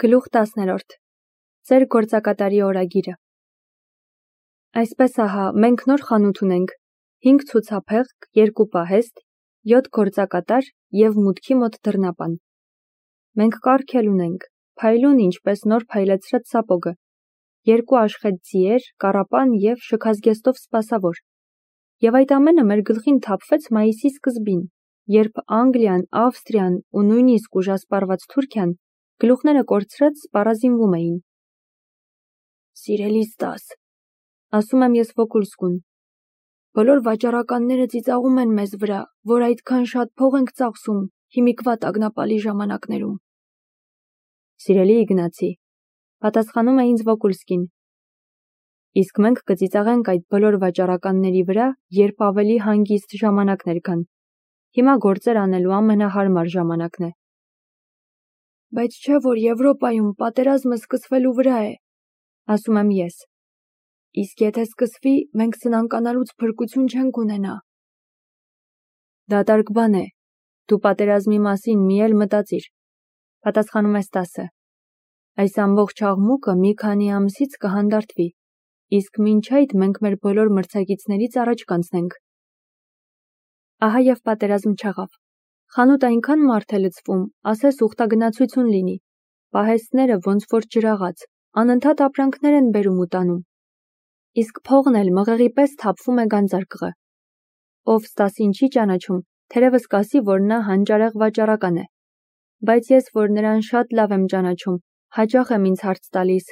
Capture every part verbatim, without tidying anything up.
Գլուխ տասներորդ Ձեր գործակատարի օրագիրը Այսպես ահա, մենք նոր խանութ ունենք, հինգ ցուցափեղկ, երկու պահեստ, յոթ գործակատար և մուտքի մոտ դռնապան։ Մենք կառք էլ ունենք, փայլուն ինչպես նոր փայլեցրած սապոգը, երկու աշխետ ձիեր, կառապան և շքազգեստով սպասավոր։ Եվ այդ ամենը մեր գլխին թափվեց մայիսի սկզբին, երբ Անգլիան, Ավստրիան ու նույնիսկ ուժասպառված Թուրքիան գլուխները կորցրած սպառազինվում էին։ Սիրելի Ստաս, ասում եմ ես Վոկուլսկուն, բոլոր վաճառականները ծիծաղում են մեզ վրա, որ այդքան շատ փող ենք ծախսում հիմիկվա տագնապալի ժամանակներում։ Սիրելի Իգնացի, պատասխանում է ինձ Վոկուլսկին, իսկ մենք կծիծաղենք այդ բոլոր վաճառականների վրա, երբ ավելի հանգիստ ժամանակներ կան։ Հիմա գործեր անելու ամենահարմար ժամանակն է։ Բայց չէ, որ Եվրոպայում պատերազմը սկսվելու վրա է, ասում եմ ես։ Իսկ եթե սկսվի, մենք սնանկանալուց փրկություն չենք ունենա։ Դատարկ բան է, դու պատերազմի մասին մի էլ մտածիր, պատասխանում է Ստասը։ Այս ամբողջ աղմուկը մի քանի ամսից կհանդարտվի, իսկ մինչ այդ մենք մեր բոլոր մրցակիցներից առաջ կանցնենք։ Ահա և պատերազմ չեղավ։ Խանութ այնքան մարդ է լցվում, ասես ուխտագնացություն լինի, պահեստները ոնց որ ջրաղաց, անընդհատ ապրանքներ են բերում ու տանում։ Իսկ փողն էլ մղեղի պես թափվում է գանձարկղը։ Ով Ստասին չի ճանաչում, թերևս կասի, որ նա հանճարեղ վաճառական է։ Բայց ես, որ նրան շատ լավ եմ ճանաչում, հաճախ եմ ինձ հարց տալիս,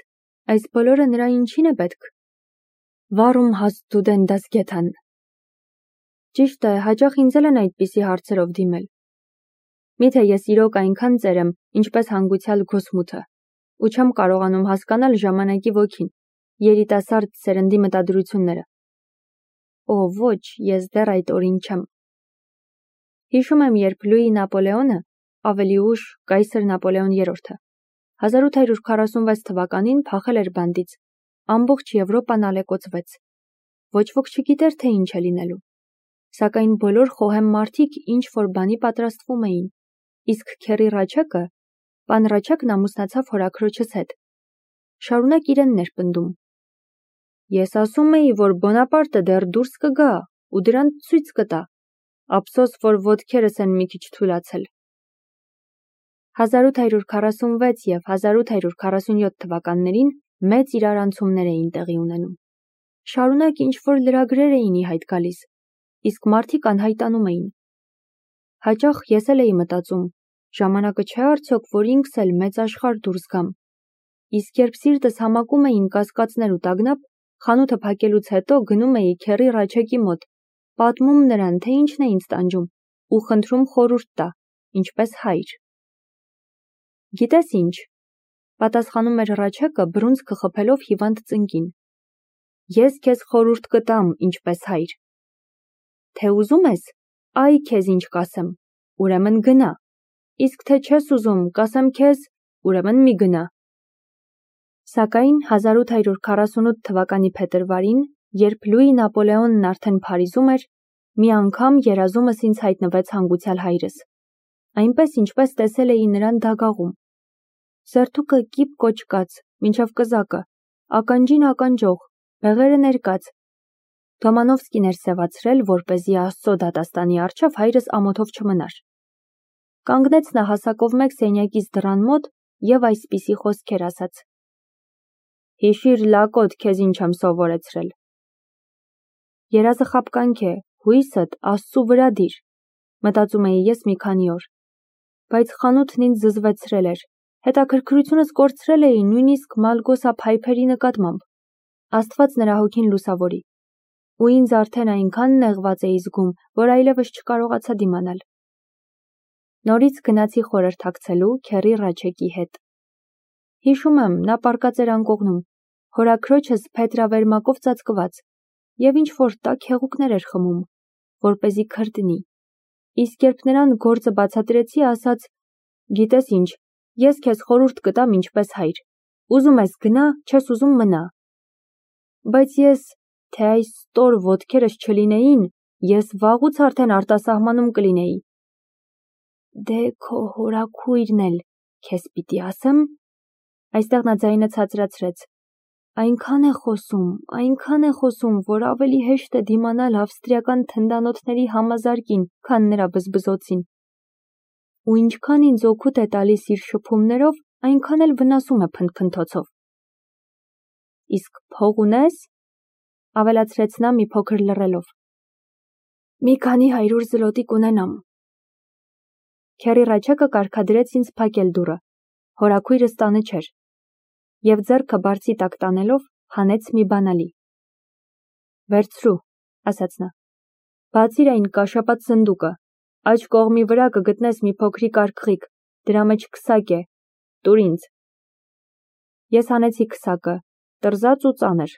այս բոլորը նրա ինչին է պետք։ Վարում հաստ դեն դաս գեթան։ Ճիշտ է, հաճախ ինձ էլ են այդպիսի հարցերով դիմել։ Միթե ես իրոք այնքան ծեր եմ, ինչպես հանգուցյալ Գոսմութը, ու չեմ կարողանում հասկանալ ժամանակի ոգին, երիտասարդ սերնդի մտադրությունները։ Օ, ոչ, ես դեռ այդ օրին չեմ։ Հիշում եմ, երբ Լուի Նապոլեոնը, ավելի ուշ կայսր Նապոլեոն երրորդը, հազար ութ հարյուր քառասունվեց թվականին փախել էր բանտից, ամբողջ Եվրոպան ալեկոծվեց։ Ոչ ոք չգիտեր, թե ինչ է լինելու։ Սակայն բոլոր խոհեմ մարդիկ ինչ որ բանի պատրաստվում էին, իսկ քերի Ռաչեկը, պան Ռաչեկն ամուսնացավ հորաքրոջս հետ։ Շարունակ իրենն էր պնդում։ Ես ասում էի, որ Բոնապարտը դեռ դուրս կգա ու դրան ցույց կտա, ափսոս, որ ոտքերս են մի քիչ թուլացել։ հազար ութ հարյուր քառասունվեց և հազար ութ հարյուր քառասունյոթ թվականներին մեծ իրարանցումներ էին տեղի ունենում։ Շարունակ ինչ որ լրագրեր էին ի հայտ գալիս, իսկ մարդիկ անհայտանում էին։ Հաճախ ես էլ էի մտածում, ժամանակը չէ արդյոք, որ ինքս էլ մեծ աշխարհ դուրս գամ։ Իսկ երբ սիրտս համակում էին կասկածներ ու տագնապ, խանութը փակելուց հետո գնում էի քերի Ռաչեկի մոտ, պատմում նրան, թե ինչն է ինձ տանջում, ու խնդրում խորհուրդ տա, ինչպես հայր։ Գիտես ինչ, պատասխանում էր Ռաչեկը բռունցքը խփելով հիվանդ ծնկին։ Ես քեզ խորհուրդ կտամ, ինչպես հայր։ Թե ուզում ես, այ քեզ ինչ կասեմ, ուրեմն գնա, իսկ թե չես ուզում, կասեմ քեզ, ուրեմն մի գնա։ Սակայն հազար ութ հարյուր քառասունութ թվականի փետրվարին, երբ Լուի Նապոլեոնն արդեն Փարիզում էր, մի անգամ երազումս ինձ հայտնվեց հանգուցյալ հայրս, այնպես ինչպես տեսել էի նրան դագաղում։ Սերթուկը կիպ կոճկած, մինչև կզակը, ականջին ականջող, բեղերը ներկած։ Դոմանովսկին էր սևացրել, որպեսզի Աստծո դատաստանի առջև հայրս ամոթով չմնար։ Կանգնեց նա հասակով մեկ սենյակից դռան մոտ և այսպիսի խոսքեր ասաց. Հիշիր լակոտ, քեզ ինչ եմ սովորեցրել։ Երազը խաբկանք է, հույսդ Աստծու վրա դիր, մտածում էի ես մի քանի օր։ Բայց խանութն ինձ զզվեցրել էր, հետաքրքրությունս կորցրել էի նույնիսկ Մալգոսա փայփերի նկատմամբ։ Աստված նրա հոգին լուսավորի։ Ու ինձ արդեն այնքան նեղված էի զգում, որ այլևս չկարողացա դիմանալ։ Նորից գնացի խորհրդակցելու քերի Ռաչեկի հետ։ Հիշում եմ, նա պառկած էր անկողնում, հորաքրոջս փետրավերմակով ծածկված, և ինչ որ տաք հեղուկներ էր խմում, որպեսզի քրտնի։ Իսկ երբ նրան գործը բացատրեցի, ասաց. Գիտես ինչ, ես քեզ խորհուրդ կտամ ինչպես հայր, ուզում ես գնա, չես ուզում մնա։ Բայց ես, թե այս ստոր ոտքերս չլինեին, ես վաղուց արդեն արտասահմանում կլինեի։ Դե քո հորաքույրն էլ քեզ պիտի ասեմ, Այստեղ նա ձայնը ցածրացրեց։ Այնքան է խոսում, այնքան է խոսում, որ ավելի հեշտ է դիմանալ ավստրիական թնդանոթների համազարկին, քան նրա բզբզոցին։ Ու ինչքան ինձ օգուտ է տալիս իր շփումներով, այնքան էլ վնասում է փնթփնթոցով։ Իսկ փող ունես, ավելացրեց նա մի փոքր լռելով։ Մի քանի հարյուր զլոտի կունենամ։ Քերի Ռաչեկը կարգադրեց ինձ փակել դուռը, հորաքույրս տանը չէր, և ձեռքը բարձի տակ տանելով հանեց մի բանալի։ Վերցրու, ասաց նա, բացիր այն կաշապած սնդուկը, աջ կողմի վրա կգտնես մի փոքրիկ արկղիկ, դրա մեջ քսակ է, տուր ինձ։ Ես հանեցի քսակը, տրզած ու ծանր։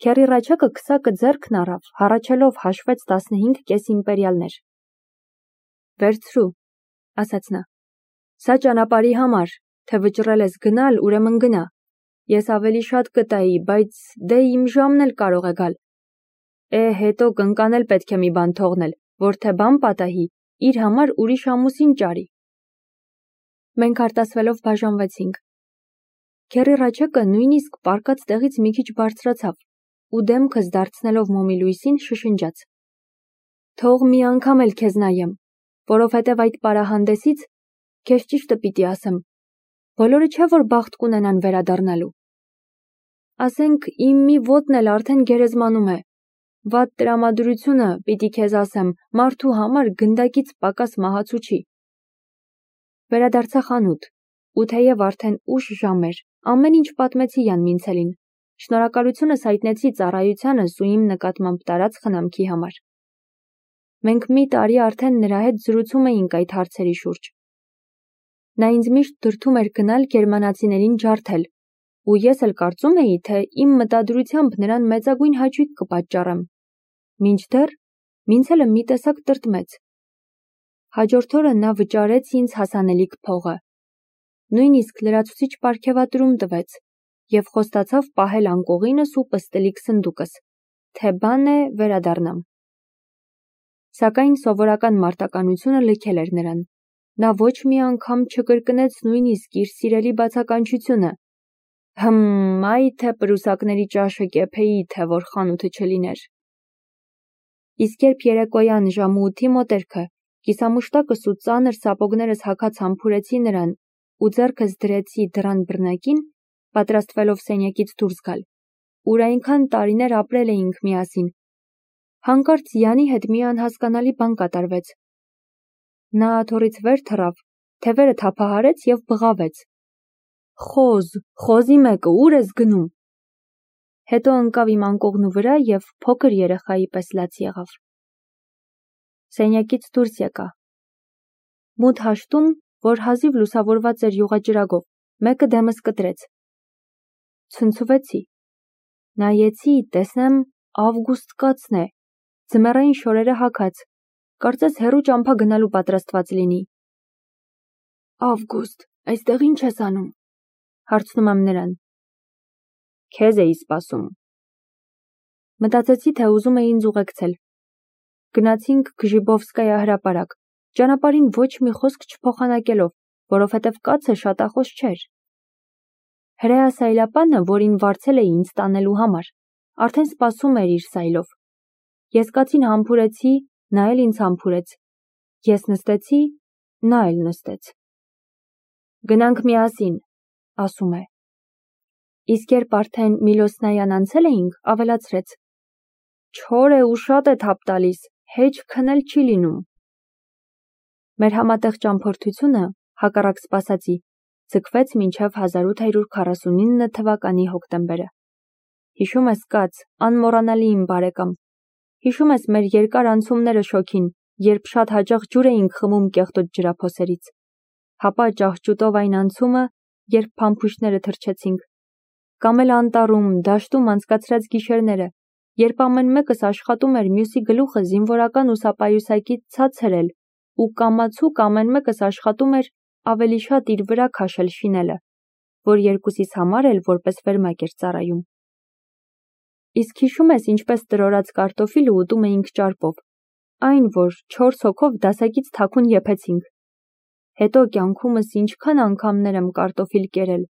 Քերի Ռաչեկը քսակը ձեռքն առավ, հառաչելով հաշվեց տասնհինգ կես իմպերիալներ։ Վերցրու, ասաց նա, սա ճանապարհի համար, թե վճռել ես գնալ, ուրեմն գնա։ Ես ավելի շատ կտայի, բայց դե իմ ժամն էլ կարող է գալ։ Է, հետո կնկանել պետք է մի բան թողնել, որ թե բան պատահի, իր համար ուրիշ ամուսին ճարի։ Մենք արտասվելով բաժանվեցինք։ Քերի Ռաչեկը նույնիսկ պառկած տեղից մի քիչ բարձրացավ ու դեմքս դարձնելով մոմի լույսին շշնջաց. Թող մի անգամ էլ քեզ նայեմ, որովհետև այդ պարահանդեսից քեզ ճիշտը պիտի ասեմ, բոլորը չէ որ բախտ կունենան վերադառնալու։ Ասենք իմ մի ոտն էլ արդեն գերեզմանում է։ Վատ տրամադրությունը, պիտի քեզ ասեմ, մարդու համար գնդակից պակաս մահացու չի։ Վերադարձա խանութ, ու թեև արդեն ուշ ժամ էր, ամեն ինչ պատմեցի Յան Մինցելին, շնորհակալությունս հայտնեցի ծառայությանս ու իմ նկատմամբ տարած խնամքի համար։ Մենք մի տարի արդեն նրա հետ զրուցում էինք այդ հարցերի շուրջ։ Նա ինձ միշտ դրդում էր գնալ գերմանացիներին ջարդել, ու ես էլ կարծում էի, թե իմ մտադրությամբ նրան մեծագույն հաճույք կպատճառեմ։ Մինչդեռ Մինցելը մի տեսակ տրտմեց։ Հաջորդ օրը նա վճարեց ինձ հասանելիք փողը։ Նույնիսկ լրացուցիչ պարգևատրում տվեց և խոստացավ պահել անկողինս ու պստլիկ սնդուկս, թե բան է վերադառնամ։ Սակայն սովորական մարտականությունը լքել էր նրան։ Նա ոչ մի անգամ չկրկնեց նույնիսկ իր սիրելի բացականչությունը. Հմ, այ թե պրուսակների ճաշը կեփեի, թե որ խանութը չլիներ։ Իսկ երբ երեկոյան ժամը ութի մոտերքը կիսամուշտակս ու ծանր սապոգներս հագած համբուրեցի նրան ու ձեռքս դրեցի դռան բռնակին, պատրաստվելով սենյակից դուրս գալ, ուր այնքան տարիներ ապրել էինք միասին, հանկարծ Յանի հետ մի անհասկանալի բան կատարվեց։ Նա աթոռից վեր թռավ, թևերը թափահարեց և բղավեց. Խոզ, խոզի մեկը, ուր ես գնում։ Հետո ընկավ իմ անկողնու վրա և փոքր երեխայի պես լաց եղավ։ Սենյակից դուրս եկա։ Մութ հաշտում, որ հազիվ լուսավորված էր յուղաճրագով, մեկը դեմս կտրեց։ Ցնցվեցի։ Նայեցի, տեսնեմ ավգուստ կացն է, ձմեռային շորերը հագած, կարծես հեռու ճամփա գնալու պատրաստված լինի։ Ավգուստ, այստեղ ինչ ես անում, հարցնում եմ նրան։ Քեզ էի սպասում։ Մտածեցի, թե ուզում է ինձ ուղեկցել։ Գնացինք Գժիբովսկայա հրապարակ, ճանապարհին ոչ մի խոսք չփոխանակելով, որովհետև կացը շատախոս չէր։ Հրեա Սայլապանը, որին վարձել էի ինձ տանելու համար, արդեն սպասում էր իր սայլով։ Ես կացին համբուրեցի, նա էլ ինձ համբուրեց։ Ես նստեցի, նա էլ նստեց։ Գնանք միասին, ասում է։ Իսկ երբ արդեն Միլոսնայան անցել էինք, ավելացրեց. Չոր է ու շատ է թափ տալիս, հեչ քնել չի լինում։ Մեր համատեղ ճամփորդությունը, հակառակ սպասածի, ձգվեց մինչև հազար ութ հարյուր քառասունինը թվականի հոկտեմբերը։ Հիշում ես, կաց, անմոռանալի իմ բարեկամ։ Հիշում ես մեր երկար անցումները շոգին, երբ շատ հաճախ ջուր էինք խմում կեղտոտ ջրափոսերից։ Հապա ճահճուտով այն անցումը, երբ փամփուշտները թրջեցինք։ Կամ էլ անտառում, դաշտում անցկացրած գիշերները, երբ ամեն մեկս աշխատում էր մյուսի գլուխը զինվորական ուսապայուսակից ցած հրել ու կամացուկ ամեն մեկս աշխատում էր ավելի շատ իր վրա քաշել շինելը, որ երկուսիս համար էլ որպես վերմակ էր ծառայում։ Իսկ հիշում ես ինչպես տրորած կարտոֆիլը ուտում էինք ճարպով, այն, որ չորս հոգով դասակից թաքուն եփեցինք։ Հետո կյանքումս ինչքան անգամներ եմ կարտոֆիլ կերել,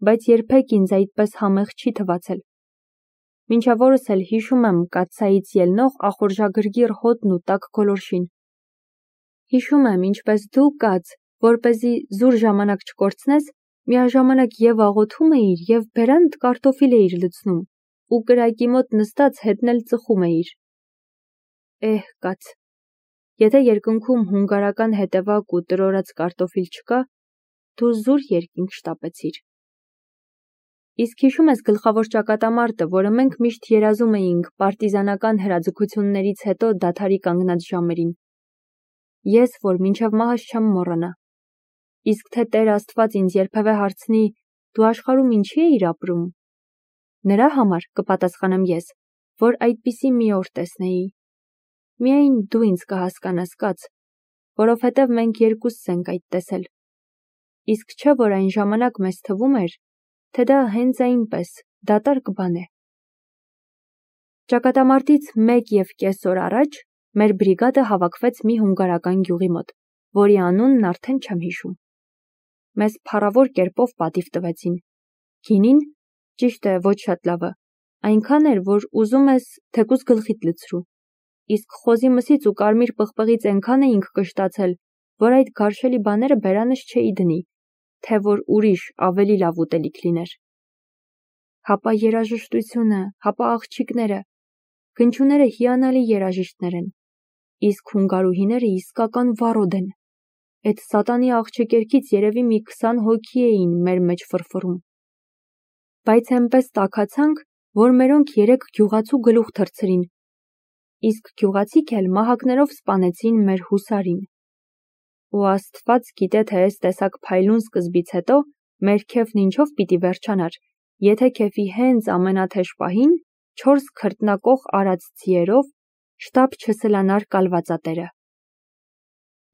բայց երբեք ինձ այդպես համեղ չի թվացել։ Մինչև օրս էլ հիշում եմ կաթսայից ելնող ախորժագրգիռ հոտն ու տաք գոլորշին։ Հիշում եմ, ինչպես դու կաց, որպեսզի զուր ժամանակ չկորցնես, միաժամանակ և աղոթում էիր, և բերանդ կարտոֆիլ էիր լցնում, ու կրակի մոտ նստած հետն էլ ծխում էիր։ Էհ, կաց, եթե երկնքում հունգարական հետևակ ու տրորած կարտոֆիլ չկա, դու զուր երկինք շտապեցիր։ Իսկ հիշում ես գլխավոր ճակատամարտը, որը մենք միշտ երազում էինք պարտիզանական հրաձգություններից հետո դադարի կանգնած ժամերին։ Ես, որ մինչև մահս չեմ մոռանա։ Իսկ թե Տեր Աստված ինձ երբևէ հարցնի, դու աշխարհում ինչի էիր ապրում, նրա համար կպատասխանեմ ես, որ այդպիսի մի օր տեսնեի։ Միայն դու ինձ կհասկանաս, կաց, որովհետև մենք երկուսս ենք այդ տեսել։ Իսկ չէ՞ որ այն ժամանակ մեզ թվում էր, թե դա հենց այնպես, դատարկ բան է։ Ճակատամարտից մեկ և կես օր առաջ մեր բրիգադը հավաքվեց մի հունգարական գյուղի մոտ, որի անունն արդեն չեմ հիշում։ Մեզ փառավոր կերպով պատիվ տվեցին։ Գինին, ճիշտ է, ոչ շատ լավը, այնքան էր, որ ուզում ես թեկուզ գլխիդ լցրու, իսկ խոզի մսից ու կարմիր պղպղից այնքան էինք կշտացել, որ այդ գարշելի բաները բերանս չէի դնի, թե որ ուրիշ ավելի լավ ուտելիք լիներ։ Հապա երաժշտությունը, հապա աղջիկները, գնչուները հիանալի երաժիշտներ են, իսկ հունգարուհիները իսկական վառոդ են։ Էդ սատանի աղջիկերքից երևի մի քսան հոգի էին մեր մեջ ֆրֆռում։ Բայց էնպես տաքացանք, որ մերոնք երեք գյուղացու գլուխ թռցրին, իսկ գյուղացիք էլ մահակներով սպանեցին մեր հուսարին։ Ու Աստված գիտե, թե այս տեսակ փայլուն սկզբից հետո մեր քեֆն ինչով պիտի վերջանար, եթե քեֆի հենց ամենաթեժ պահին չորս քրտնակող արած ձիերով շտապ չսլանար կալվածատերը։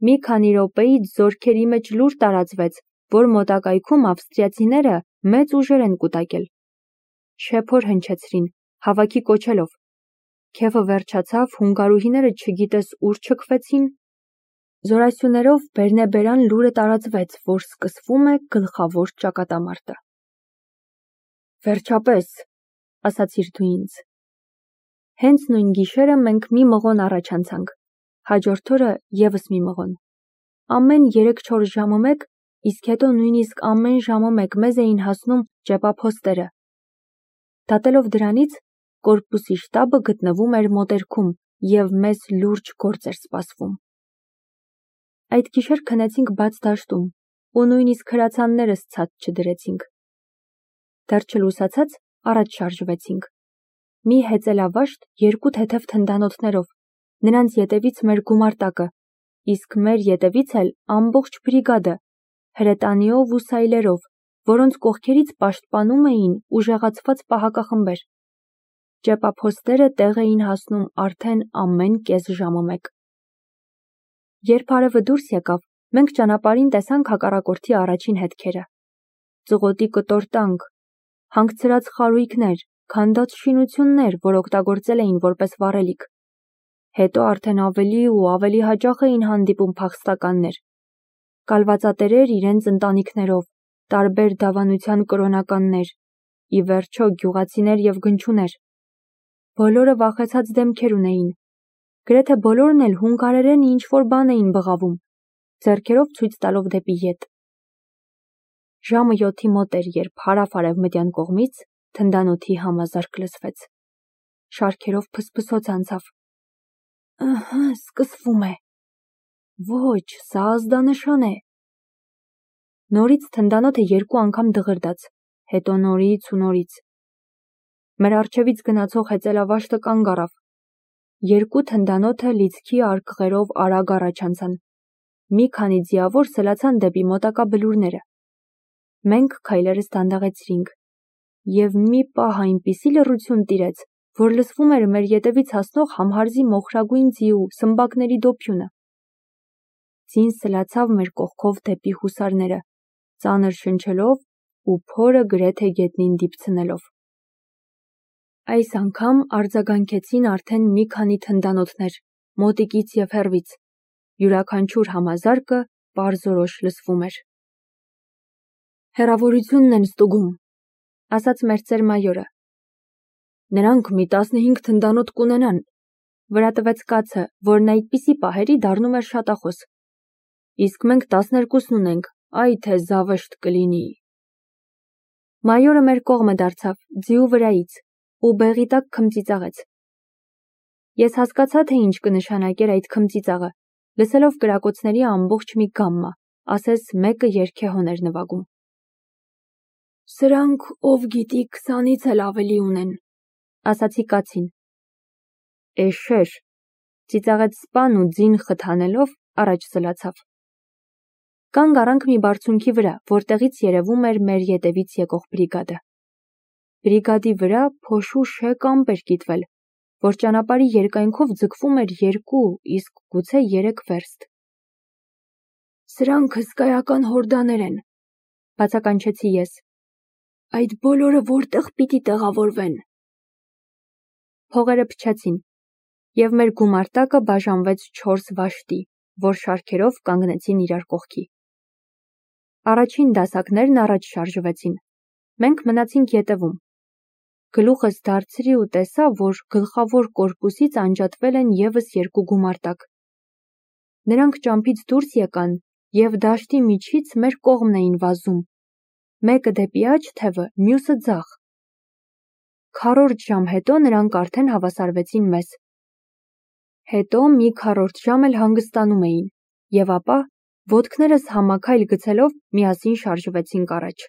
Մի քանի րոպեից զորքերի մեջ լուր տարածվեց, որ մոտակայքում ավստրիացիները մեծ ուժեր են կուտակել։ Շեփոր հնչեցրին, հավաքի կոչելով։ Քեֆը վերջացավ, հունգարուհիները չգիտես ուր չքվեցին։ Զորասյուներով բերնեբերան լուրը տարածվեց, որ սկսվում է գլխավոր ճակատամարտը։ Վերջապես, ասացիր դու ինձ։ Հենց նույն գիշերը մենք մի մղոն առաջ անցանք, հաջորդ օրը ևս մի մղոն։ Ամեն երեք-չորս ժամը մեկ, իսկ հետո նույնիսկ ամեն ժամը մեկ մեզ էին հասնում ճեպափոստերը։ Դատելով դրանից, կորպուսի շտաբը գտնվում էր մոտերքում և մեզ լուրջ գործ էր սպասվում։ Այդ գիշեր քնեցինք բաց դաշտում ու նույնիսկ հրացաններս ցած չդրեցինք։ Դեռ չլուսացած առաջ շարժվեցինք։ Մի հեծելավաշտ երկու թեթև թնդանոթներով, նրանց ետևից մեր գումարտակը, իսկ մեր ետևից էլ ամբողջ բրիգադը, հրետանիով ու սայլերով, որոնց կողքերից պաշտպանում էին ուժեղացված պահակախմբեր։ Ճեպափոստերը տեղ էին հասնում արդեն ամեն կես ժամը մեկ։ Երբ արևը դուրս եկավ, մենք ճանապարհին տեսանք հակառակորդի առաջին հետքերը։ Ծղոտի կտոր տանկ, հանգցրած խարույկներ, քանդած շինություններ, որ օգտագործել էին որպես վառելիք։ Հետո արդեն ավելի ու ավելի հաճախ էին հանդիպում փախստականներ։ Կալվածատերեր իրենց ընտանիքներով, տարբեր դավանության կրոնականներ, ի վերջո գյուղացիներ և գնչուներ։ Բոլորը վախեցած դեմքեր ունեին։ Գրեթե բոլորն էլ հունգարերեն ինչ-որ բան էին բղավում, ձեռքերով ցույց տալով դեպի ետ։ Ժամը յոթի մոտ էր, երբ հարավ-արևմտյան կողմից թնդանոթի համազարկ լսվեց։ Շարքերով փսփսոց անցավ։ Ըհը, սկսվում է։ Ոչ, սա ազդանշան է։ Նորից թնդանոթը երկու անգամ դղրդաց, հետո նորից ու նորից։ Մեր առջևից գնացող հեծելավաշտը կանգ առավ։ Երկու թնդանոթը լիցքի արկղերով արագ առաջ անցան։ Մի քանի ձիավոր սլացան դեպի մոտակա բլուրները։ Մենք քայլերս դանդաղեցրինք, և մի պահ այնպիսի լռություն տիրեց, որ լսվում էր մեր ետևից հասնող համհարզի մոխրագույն ձիու սմբակների դոփյունը։ Ձին սլացավ մեր կողքով դեպի հուսարները, ծանր շնչելով ու փորը գրեթե գետնին դիպցնելով։ Այս անգամ արձագանքեցին արդեն մի քանի թնդանոթներ, մոտիկից և հեռվից։ Յուրաքանչյուր համազարկը պարզորոշ լսվում էր։ Հեռավորությունն են ստուգում, ասաց մերձեր մայորը։ Նրանք մի տասնհինգ թնդանոթ կունենան, վրա տվեց կացը, որն այդպիսի պահերի դառնում էր շատախոս։ Իսկ մենք տասներկուսն ունենք, այ թե զավեշտ կլինի։ Մայորը մեր կողմը դարձավ, ձիու վրայից, ու բեղի տակ քմծիծաղեց։ Ես հասկացա, թե ինչ կնշանակեր այդ քմծիծաղը, լսելով կրակոցների ամբողջ մի գամմա, ասես մեկը երգեհոն էր նվագում։ Սրանք ով գիտի քսանից էլ ավելի ունեն, ասացի կացին։ Էշեր, ծիծաղեց սպան ու ձին խթանելով առաջ սլացավ։ Կանգ առանք մի բարձունքի վրա, որտեղից երևում էր մեր ետևից եկող բրիգադը։ Բրիգադի վրա փոշու շեկ ամպ էր կիտվել, որ ճանապարհի երկայնքով ձգվում էր երկու, իսկ գուցե երեք վերստ։ Սրանք հսկայական հորդաներ են, բացականչեցի ես։ Այդ բոլորը որտեղ պիտի տեղավորվեն։ Փողերը փչացին, և մեր գումարտակը բաժանվեց չորս վաշտի, որ շարքերով կանգնեցին իրար կողքի։ Առաջին դասակներն առաջ շարժվեցին, մենք մնացինք ետևում։ Գլուխս դարձրի ու տեսա, որ գլխավոր կորպուսից անջատվել են ևս երկու գումարտակ։ Նրանք ճամփից դուրս եկան և դաշտի միջից մեր կողմն էին վազում, մեկը դեպի աջ թևը, մյուսը ձախ։ Քառորդ ժամ հետո նրանք արդեն հավասարվեցին մեզ։ Հետո մի քառորդ ժամ էլ հանգստանում էին, և ապա, ոտքներս համաքայլ գցելով, միասին շարժվեցինք առաջ։